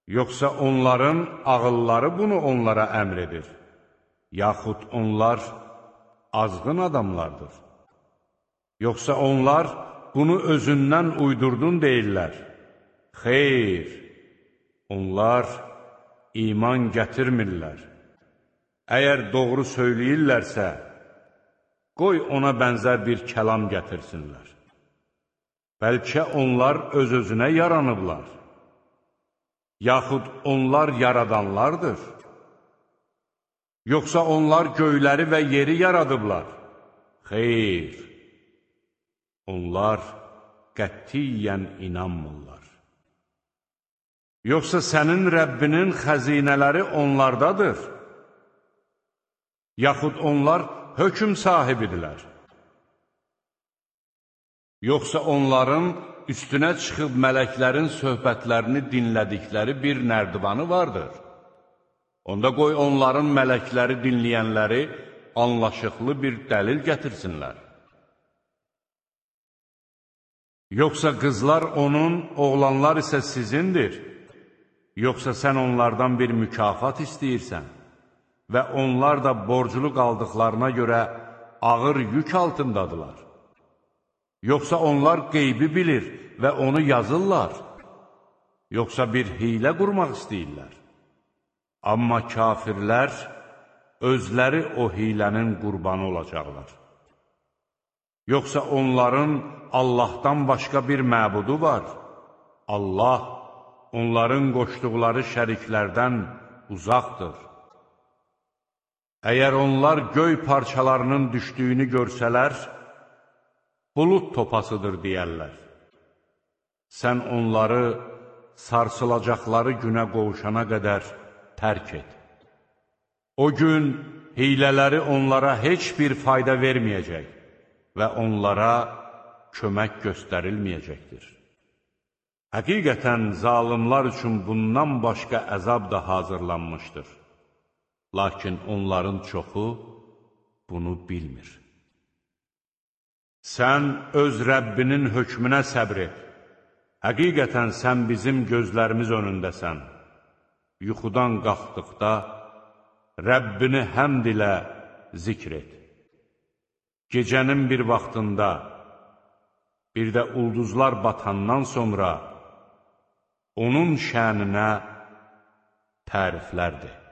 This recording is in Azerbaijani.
Yoxsa onların ağılları bunu onlara əmr edir, yaxud onlar azğın adamlardır. Yoxsa onlar bunu özündən uydurdun deyirlər. Xeyr, onlar iman gətirmirlər. Əgər doğru söyləyirlərsə, qoy ona bənzər bir kəlam gətirsinlər. Bəlkə onlar öz-özünə yaranıblar, yaxud onlar yaradanlardır. Yoxsa onlar göyləri və yeri yaradıblar. Xeyr, onlar qətiyyən inanmırlar. Yoxsa sənin Rəbbinin xəzinələri onlardadır, yaxud onlar hökm sahibidirlər. Yoxsa onların üstünə çıxıb mələklərin söhbətlərini dinlədikləri bir nərdivanı vardır. Onda qoy onların mələkləri dinləyənləri anlaşıqlı bir dəlil gətirsinlər. Yoxsa qızlar onun, oğlanlar isə sizindir. Yoxsa sən onlardan bir mükafat istəyirsən və onlar da borclu qaldıqlarına görə ağır yük altındadılar. Yoxsa onlar qeybi bilir və onu yazırlar. Yoxsa bir hiylə qurmaq istəyirlər. Amma kafirlər özləri o hilənin qurbanı olacaqlar. Yoxsa onların Allahdan başqa bir məbudu var. Allah onların qoşduqları şəriklərdən uzaqdır. Əgər onlar göy parçalarının düşdüyünü görsələr, bulud topasıdır deyərlər. Sən onları sarsılacaqları günə qovuşana qədər tərk et. O gün hiylələri onlara heç bir fayda verməyəcək və onlara kömək göstərilməyəcəkdir. Həqiqətən zalimlar üçün bundan başqa əzab da hazırlanmışdır. Lakin onların çoxu bunu bilmir. Sən öz Rəbbinin hökmünə səbr et. Həqiqətən sən bizim gözlərimiz önündəsən. Yuxudan qalxdıqda Rəbbini həmd ilə zikr et. Gecənin bir vaxtında, bir də ulduzlar batandan sonra onun şəninə təriflərdir.